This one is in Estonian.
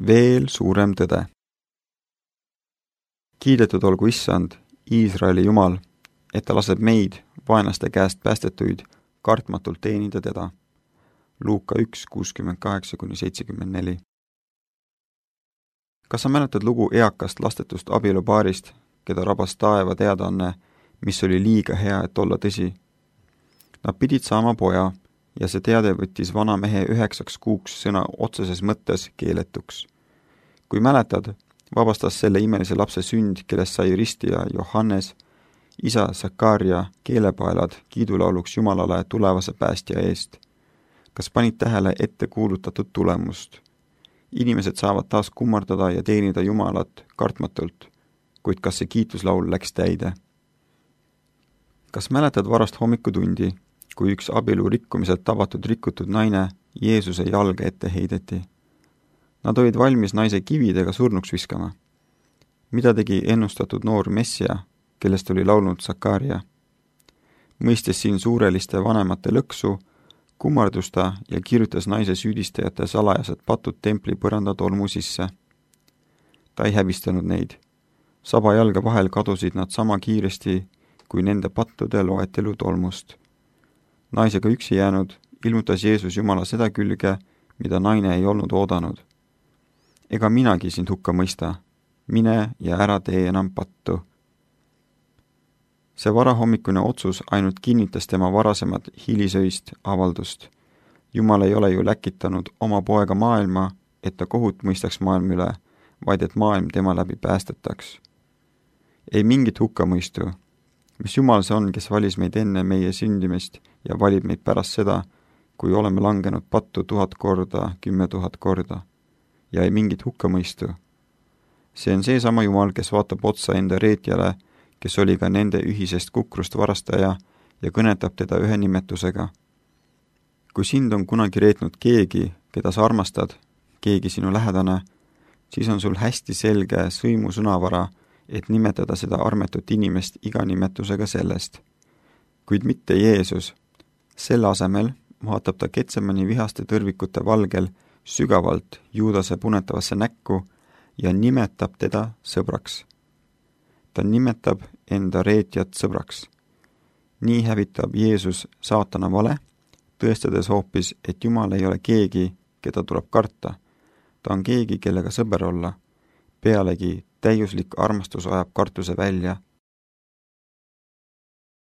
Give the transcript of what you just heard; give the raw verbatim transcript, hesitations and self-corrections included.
veel suurem tõde. Kiidetud olgu Issand, Iisraeli Jumal, et ta laseb meid, vaenlaste käest päästetuid, kartmatult teenida teda. Luuka üks kuuskümmend kaheksa kuni seitsekümmend neli. Kas sa mäletad lugu eakast lastetust abielupaarist, keda rabas taeva teadaanne, mis oli liiga hea, et olla tõsi? Nad pidid saama poja ja see teade võttis vana mehe üheksaks kuuks sõna otseses mõttes keeletuks. Kui mäletad, vabastas selle imelise lapse sünd, kellest sai ristija Johannes, isa Sakaria keelepaelad kiidulauluks Jumalale tulevase päästja eest. Kas panid tähele ette kuulutatud tulemust? Inimesed saavad taas kummardada ja teenida Jumalat kartmatult, kuid kas see kiituslaul läks täide? Kas mäletad varast hommikutundi, kui üks abielu rikkumiselt tabatud rikutud naine Jeesuse jalga ette heideti? Nad olid valmis naise kividega surnuks viskama. Mida tegi ennustatud noor messia, kellest oli laulnud Sakaria? Mõistes siin suureliste vanemate lõksu, kummardus ta ja kirjutas naise süüdistajate salajased patud templi põranda tolmu sisse. Ta ei häbistanud neid. Saba jalga vahel kadusid nad sama kiiresti, kui nende pattude loetelu tolmust. Naisega üksi jäänud ilmutas Jeesus Jumala seda külge, mida naine ei olnud oodanud. Ega minagi sind hukka mõista. Mine ja ära tee enam pattu. See varahommikune otsus ainult kinnitas tema varasemat hilisöist avaldust. Jumal ei ole ju läkitanud oma poega maailma, et ta kohut mõistaks maailma üle, vaid et maailm tema läbi päästetaks. Ei mingit hukkamõistu. Mis Jumal see on, kes valis meid enne meie sündimist ja valib meid pärast seda, kui oleme langenud pattu tuhat korda, kümme tuhat korda. Ja ei mingit hukkamõistu. See on seesama Jumal, kes vaatab otsa enda reetjale, kes oli ka nende ühisest kukrust varastaja ja kõnetab teda ühe nimetusega. Kui sind on kunagi reetnud keegi, keda sa armastad, keegi sinu lähedane, siis on sul hästi selge sõimu sõnavara, et nimetada seda armetut inimest iga nimetusega sellest. Kuid mitte Jeesus. Selle asemel vaatab ta Getsemani vihaste tõrvikute valgel sügavalt Juudase punetavasse näkku ja nimetab teda sõbraks. Ta nimetab enda reetjat sõbraks. Nii hävitab Jeesus saatana vale, tõestades hoopis, et Jumal ei ole keegi, keda tuleb karta. Ta on keegi, kellega sõber olla. Pealegi täiuslik armastus ajab kartuse välja